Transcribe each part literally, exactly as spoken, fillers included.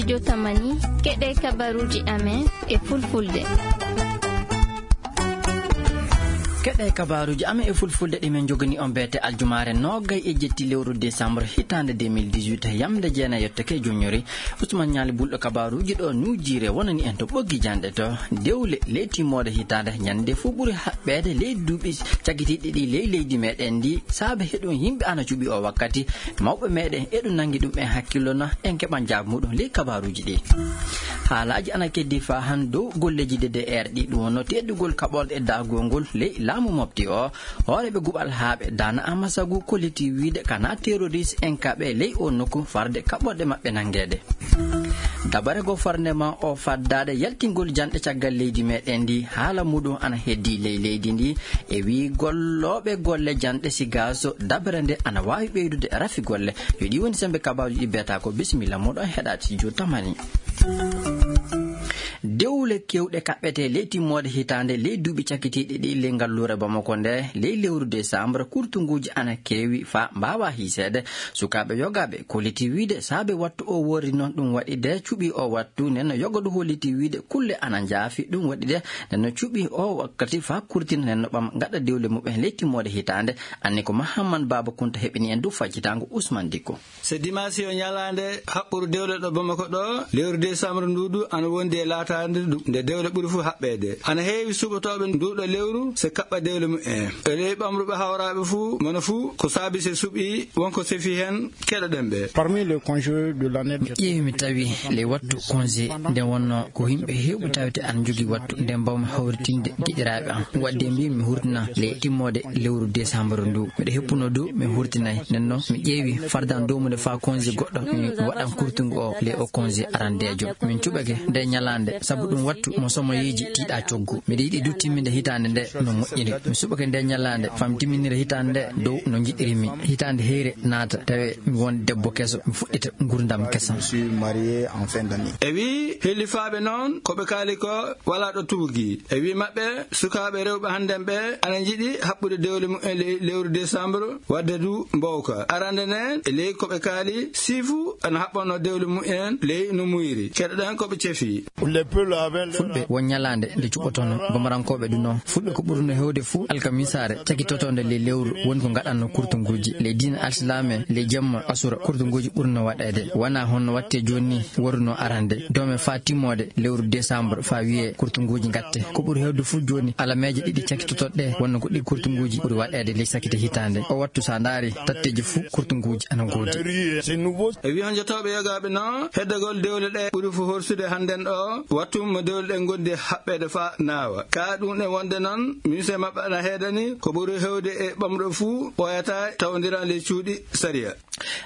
Jotamani, keɗe kabaruuji amen e fulfulde. Keɗe kabaruuji amen e fulfulde ɗi min njogani on beete aljumaare noogay e jetti lewru décembre hitaande deux mille dix-huit, yamde jeenay yottake joññori. Usman Ñaali Bulɗo kabaruuji ɗo nuujiire wonani en to ɓoggi janɗe to dewle ley timmoode hitaande ñande fuu ɓuri haɓɓeede ley duuɓi cakkitiiɗi ɗi ley leydi meɗen ndi. Saabe heɗum yimɓe ana cuɓi o wakkati, mawɓe meɗen eɗum nangi ɗum en hakkillo na en keɓan jaabu muɗum ley kabaruuji ɗi. Haalaaji ana keddi faa han dow golleeji D D R ɗi ɗum wonno teddugol kaɓorɗe e daagol ngol ley laamu mofti o. Hooreeɓe guɓal haaɓe Daana Amasagu kolliti wiide kana terroriste en kaɓe ley o nokku farde kaɓorɗe maɓɓe nangeede. Dabare goo farnde ma o faddaade yaltingol janɗe caggal leydi meɗen ndi haala muɗum ana heddi ley leydi ndi e wii gollooɓe golle janɗe sigaaso dabare nde ana waawi ɓeydude rafi golle. Yo ɗi woni sembe kabaaruji ɗi beeta ko bisimilla muɗum heɗaade si juutamani. Dewle kewɗe kaɓɓete ley timmoode hitaande ley duuɓi cakkitiiɗi ɗi ley ngalluure Bamako nde ley lewru décembre kurtunguuji ana keewi faa mbaawa hiiseede. Sukaaɓe yogaaɓe kolliti wiide saabe wattu o worri noon ɗum waɗi de cuɓi o wattu nden no yogodu holliti wiide kulle ana njaafi ɗum waɗi de nden no cuɓi o wakkati faa kurtina nden no ɓam gaɗa dewle muɓɓen ley timmoode hitaande. Anni ko Mahamman Baaba Kunta heɓini en du faccitaango Usman Dikko. Se dimaasi o ñalaande haɓɓuru dewle ɗo Bamako ɗo, lewru décembre ndu du ana wondi e laataade ndu nde dewle ɓuri fuu haɓɓeede. Ana heewi suɓotooɓe ndu ɗo lewru se kaɓɓa dewle mu'en. E ley ɓamruɓe hawraaɓe fuu, mono fuu ko saabi se suɓi wonko sefi heen keɗoɗen ɓe. Parmi les congés de l'année, mi ƴeewi mi tawi ley wattu congé nde wonno ko yimɓe heewɓe tawete ana njogii wattu nde mbawmi hawritinde giɗiraaɓe am. Wadde mbi mi hurtina le timmoode lewru décembre ndu. Miɗo heppuno du mi hurtinay. Nden non mi ƴeewi fardan dow mum nde faa congé goɗɗo mi waɗan kurtungu o le o congé arandeejo. Min cuɓake nde ñalaande sabu ɗum wattu mo somoyeeji tiiɗa coggu. Miɗo yiɗi du timminde hitaande nde no moƴƴiri. Mi suɓake nde ñalaande faa mi timminira hitaande nde dow no njiɗiri mi. Hitaande heyre naata tawe mi won debbo keso mi fuɗɗita ngurdam kesam. Je suis marié en fin d'année. E wii hillifaaɓe noon ko ɓe kaali ko walaa ɗo tuugi. E wii maɓɓe sukaaɓe rewɓe hannden ɓe ana njiɗi haɓɓude dewle mumen ley lewru décembre wadde du mbowka. Arande nden e ley ko ɓe kaali siifu ana haɓɓanno dewle mumen ley no muyri. Keɗoɗen ko ɓe cefi. Fulɓe won ñalaande nde cuɓotono gomarankooɓe du noon. Fulɓe ko ɓurno heewde fuu alkamisaare cakitotoonde ley lewru woni ko ngaɗanno kurtunguuji. Ley diina alsilaame ley jemma asura kurtunguuji ɓurno waɗeede. Wonaa honno watte jooni ni worruno arande doome faa timmoode lewru décembre faa wiyee kurtunguuji ngatte. Ko ɓuri heewde fuu jooni alameeje ɗiɗi cakitotoɗe wonno ko ɗi kurtunguuji ɓuri waɗeede ley sakite hitaande. O wattu so a ndaari tatteeji fuu kurtunguuji ana ngoodi. E wiyon jotooɓe yogaaɓe no heddagol dewle ɗe ɓuri fo horsude hannden ɗo wattu mo dewle ɗe ngondi haɓɓeede faa naawa. Kaa ɗum e wonde noon ministre maɓɓe ana heedani ko ɓuri heewde e ɓamɗo fuu ɓooyata tawondiran ley cuuɗi sariya.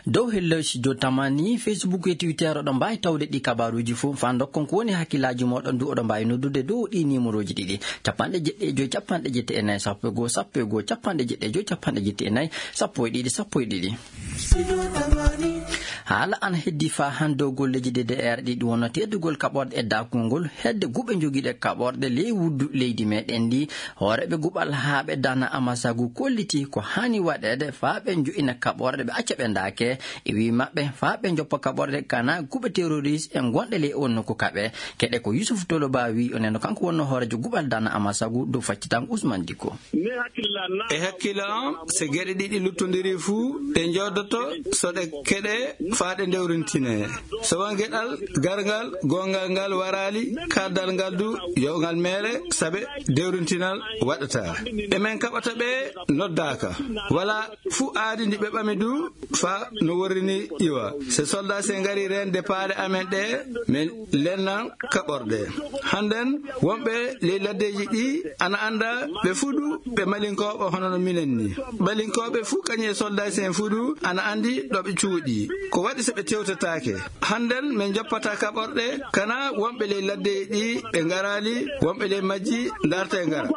Dow helloy si jotamani Facebook e Twitter oɗon mbaawi tawde ɗi kabaaruuji fof faa ndokkon ko woni hakkillaaji mooɗon du oɗon mbaawi noddude dow ɗi niimorooji ɗiɗi capanɗe jeɗɗi e joy capanɗe jeɗɗi e nayi sappo e goo sappo e goo capanɗe jeɗɗi e joy capanɗe jeɗɗi e nayi sappo e ɗiɗi sappo e ɗiɗi. Haala ana heddi faa han dow golleeji D D R ɗi ɗum wonno teddugol kaɓorɗe e daakungol hedde guɓe jogiiɗe kaɓorɗe ley wuddu leydi meɗen ndi. Hooreeɓe guɓal haa ɓe dana amasagu kolliti ko haani waɗeede faa ɓe jo'ina kaɓorɗe ɓe acca ɓe ndaake. E wii maɓɓe faa ɓe njoppa kaɓorɗe kana guɓe terroriste e gonɗe ley on nokku kaɓe. Keɗe ko Yusuf Toloba wii o neno kanko wonno hooreejo guɓal dana amasagu dow faccitango Usman Dikko. E hakkille am, so geɗe ɗiɗi luttondiri fuu, ɗe njoodoto so ɗe keɗe faa ɗe ndewrintinee. So won geɗal garngal, goongal ngal waraali, kaaddal ngal du, yo ngal meere, sabe dewrintinal waɗataa. Ɗe men kaɓata ɓe noddaaka. Walaa fuu aadi ndi ɓe ɓami du, faa no worrini iwa. So soldaasi'en ngari reende paale amen ɗe, men lennan kaɓorɗe. Hannden wonɓe ley laddeeji ɗi ana annda ɓe fuu du ɓe malinkooɓe hono no minen ni. Malinkooɓe fuu kañum e soldaasi'en fuu du ana anndi ɗo ɓe cuuɗi. Ko waɗi so ɓe tewtataake? Hannden men njoppataa kaɓorɗe, kana wonɓe ley laddeeji ɗi ɓe ngaraali, wonɓe ley majji ndarta e ngara.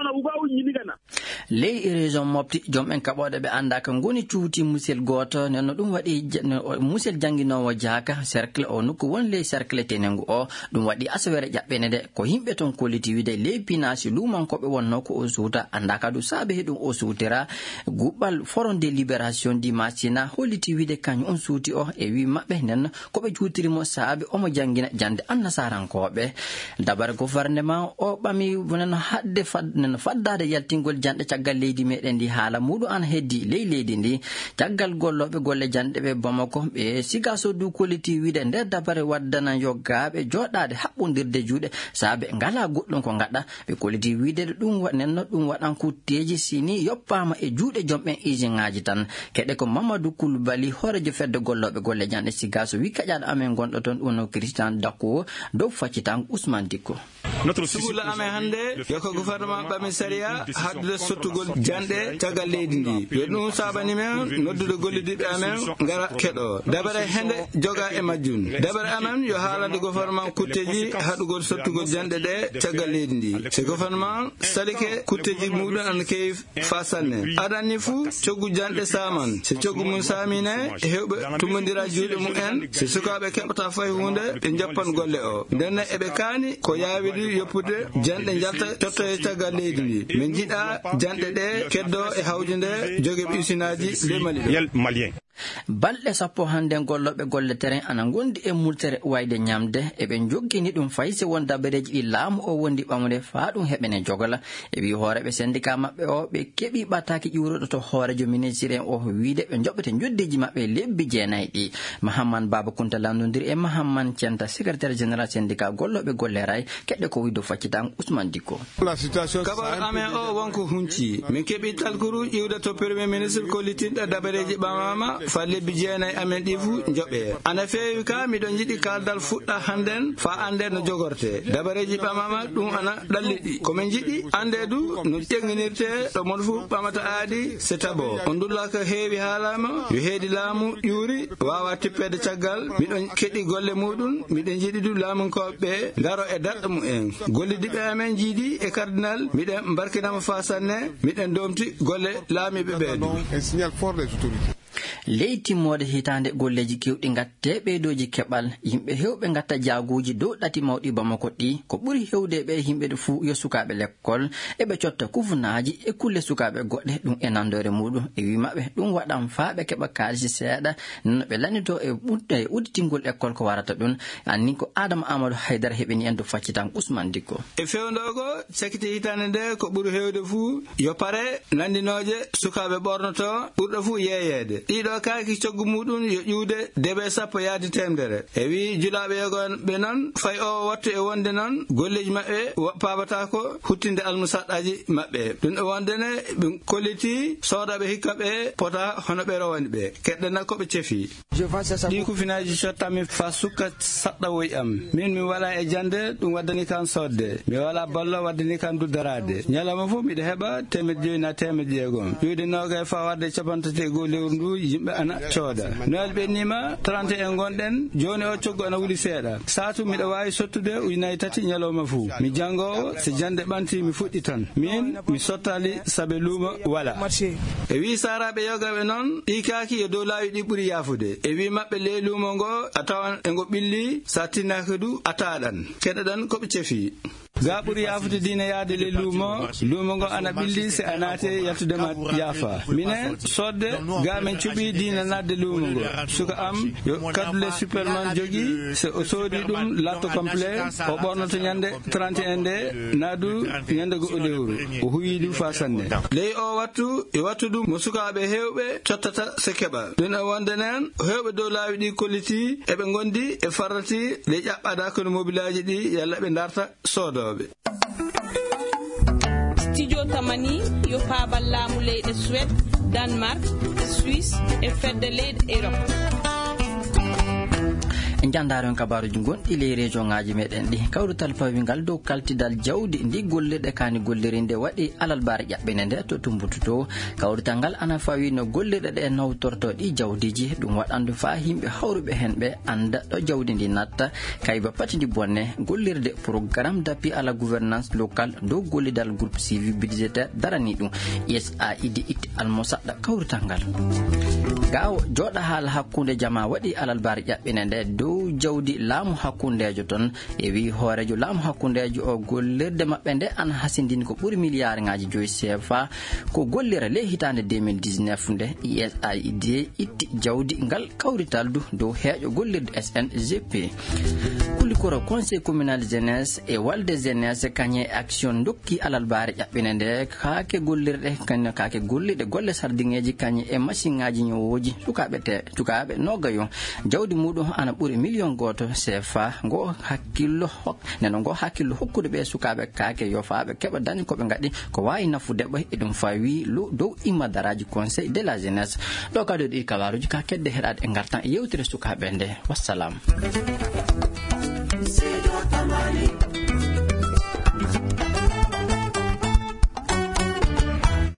Ley région Mopti, joom en kaɓooɗe ɓe anndaa ka ngoni cuuti musel gooto, nden no ɗum waɗi ja-, no, o, musel jannginoowo jaaka, cercle o nokku won ley cercle Tenengu o. Ɗum waɗi asawere ƴaɓɓene nde, ko yimɓe ton kolliti wiide ley pinaasi luumankooɓe wonnoo ko o suuta, anndaa ka du saabe he ɗum o suutira. Guɓɓal Front de Libération du Macina holliti wiide kañum on suuti o e wii maɓɓe nden ko ɓe juutiri mo saabe omo janngina jannde annasarankooɓe. Dabare gouvernement o ɓami wonano haɗde fad-, nano faddaade yaltingol janɗe caggal leydi meɗen ndi haala muɗum ana heddi ley leydi ndi. Caggal gollooɓe golle janɗe ɓe Bamako, ɓe Sigaso du kolliti wiide nder dabare waddana yoggaaɓe jooɗaade haɓɓondirde juuɗe saabe ngalaa goɗɗum ko ngaɗa. Ɓe kolliti wiide ɗum wa-, nenno ɗum waɗan kutteeji sini yoppaama e juuɗe joom ɓen usine ŋaaji tan. Keɗe ko Mamadou Koulibaly, hooreejo fedde gollooɓe golle janɗe Sigaso, wi kaƴaaɗo amen gonɗo toon, ɗum no Christian Dako, dow faccitango Ousmane Dicko. Sugulla amen hannde yo ko gouvernement ɓami sariya haɗdude sottugol janɗe caggal leydi ndi. Yo ɗum saabani men noddude gollidiiɓe amen ngara keɗo. Dabare hende joga e majjum. Dabare amen yo haalande gouvernement kutteeji haɗugol sottugol janɗe ɗe caggal leydi ndi. So gouvernement salike kutteeji muɗum ana keewi fa sanne. Adan ni fuu, coggu janɗe saaman. So coggu mum saamine, heewɓe tumbondira juuɗe mum en. So sukaaɓe keɓata fay huunde, ɓe njoppan golle o. Nden eɓe kaani ko yaawiri yoppude janɗe njalta cottoye caggal leydi ndi. Min njiɗa janɗe ɗe keddo e hawjude jogeeɓe usinaaji ley Mali ɗo. Balɗe sappo hannden gollooɓe golle terrain ana ngondi e multere wayde ñamde, eɓe njoggini ɗum fay si won dabareeji ɗi laamu o wondi ɓamude faa ɗum heɓene jogola. E wii hooreeɓe syndicat maɓɓe o, ɓe keɓi ɓataaki ƴuuruɗo to hooreejo ministre en o wiide ɓe njoɓete njoddeeji maɓɓe lebbi jeenayi ɗi. Mahamman Baba Kunta lanndondiri e Mahamman Centa, secrétaire général syndicat gollooɓe golle ray, keɗɗe ko wii dow faccitango Ousmane Dicko. Kabaru amen o wonko hunci. Min keɓi talkuru iwde to premier ministre kollitinɗo dabareeji ɓamama fa lebbi jeenayi amen ɗi fuu njoɓe. Ana feewi ka miɗo jiɗi kaldal fuɗɗa hannden fa annde no jogorte. Dabareeji ɓamama ɗum ana ɗalliɗi. Ko min jiɗi annde du no ƴeŋŋinirte ɗo mon fuu ɓamata aadi se tabo. On dulla ko heewi haalama yo heedi laamu ƴuuri waawa tippede caggal. Miɗon keɗi golle muɗum. Miɗen jiɗi du laamunkooɓe ɓe ndaro e daɗɗo mumen. Gollidiiɓe amen jiidi e cardinal, miɗen mbarkinama faa sanne, miɗen doomti golle laamiiɓe ɓe du. Ley timmoode hitaande golleeji keewɗi ngatte ɓeydooji keɓal, yimɓe heewɓe ngatta jaaguuji dow ɗati mawɗi Bamako ɗi. Ko ɓuri heewde ɓe yimɓe fuu yo sukaaɓe lekkol, eɓe cotta kufunaaji e kulle sukaaɓe goɗɗe, ɗum e nandoore muɗum. E wii maɓɓe, ɗum waɗan faa ɓe keɓa kaalisi seeɗa, no ɓe lannitoo e ɓut-, e udditingol lekkol ko warata ɗum. Anni ko Adama Amadou Haydara heɓini en to faccitango Ousmane Dicko. E fewndoogo, cakite hitaande nde ko ɓuri heewde fuu yo pare nanndinooje sukaaɓe ɓornoto ɓurɗo fuu yeeyeede. Ɗiɗo kaaki coggu muɗum yo ƴuwde debe sappo yaadi teemedere. E wii julaaɓe yogoɓe noon, fay o wattu e wonde noon, golleeji maɓɓe wa-, paabataako huttinde almusaɗɗaaji maɓɓe. Ɗum e wonde ne, ɓe kolliti soodaaɓe hikka ɓe pota hono ɓe rowani ɓe. Keɗɗena ko ɓe cefi. Ɗi kufinaaji cottanmi faa sukka saɗɗawoy am. Min mi walaa e jannde, ɗum waddani kam soodde. Mi walaa ballo waddani kam duddaraade. Ñalawma fof miɗo heɓa teemedde joyi naa teemedde jeegom. Ƴuwde noogay faa warde capanɗe tati e goo lewru ndu, yimɓe ana cooda. Noel ɓenniima, trente et un ngonɗen, jooni o coggu ana wuli seeɗa. Saatu miɗo waawi sottude ujunaaji tati ñalawma fuu. Mi janngoowo, so jannde ɓanti mi fuɗɗitan. Min, mi sottaali sabe luumo walaa. E wii saaraaɓe yogaɓe noon, ɗi kaaki yo dow laawi ɗi ɓuri yaafude. E wii maɓɓe ley luumo ngo, a tawan e ngo ɓilli, so a tinnaaki du, a taaɗan. Keɗoɗen ko ɓe cefi. Ga ɓuri yaafude diina yaade ley luumo, luumo ngo ana ɓilli si a naati yaltude ma yaafa. Minen, soodde, ga men cuɓi diina naatde luumo ngo. Suka am, yo kadule Superman jogii, so o soodi ɗum, laatto complet, o ɓornoto ñande trente et un nde, naa du ñande goo lewru. O huuyi ɗum faa sanne. Ley o wattu, e wattu ɗum mo sukaaɓe heewɓe cottata se keɓa. Ɗum e wonde nen, heewɓe dow laawi ɗi kolliti, eɓe ngondi e farrati, ley ƴaɓɓaade hakkunde mobilaaji ɗi, yalla ɓe ndarta soodooɓe. Studio Tamani, yo faabal laamu leyɗe Suède, Danemark, Suisse e fedde leyɗe Europe. Njandaaro en kabaaruuji gonɗi ley rejoŋaaji meɗen ɗi. Kawrital pawingal dow kaltidal jawdi ndi gollirɗe kaani golliri nde waɗi alalbaare ƴaɓɓinde nde to Tumbutu to. Kawrital ngal ana fawi no gollirɗe ɗe nawtorto ɗi jawdiiji. Ɗum waɗandu faa yimɓe hawruɓe heen ɓe annda ɗo jawdi ndi natta. Kayba patindi bonne gollirde programme d'appui à la gouvernance locale dow gollidal groupe suivi budgétaire darani ɗum. U S A I D itti almusaɗɗa kawrital ngal. Gaawo jooɗa haala hakkunde jama waɗi alalbaare ƴaɓɓinde nde dow jawdi laamu hakkundeejo toon. E wii hooreejo laamu hakkundeejo o gollirde maɓɓe nde ana hasindini ko ɓuri miliyaarŋaaji joyi C F A ko gollira ley hitaande deux mille dix-neuf nde. U S A I D itti jawdi ngal kawrital du dow heeƴo gollirde S N G P. Kulikoro conseil communal jeunesse e walde jeunesse kañe action ndokki alalbaare ƴaɓɓinde nde kaake gollirɗe kañe kaake gollirɗe golle sardiŋeeji kañe e masiŋaaji ñowooji sukaaɓe te sukaaɓe noogayo. Jawdi muɗum ana ɓuri million gooto C F A ngo hakkillo hok neno ngo hakkillo hokkude ɓe sukaaɓe kaake yofaaɓe keɓa dañi ko ɓe ngaɗi ko waawi nafude ɓe. Eɗum fawi lu dow immadaraaji conseil de la jeunesse. Ɗo kadi ɗi kabaaruuji ka kedde heɗaade e ngartan e yewtere sukaaɓe nde. Wassalam.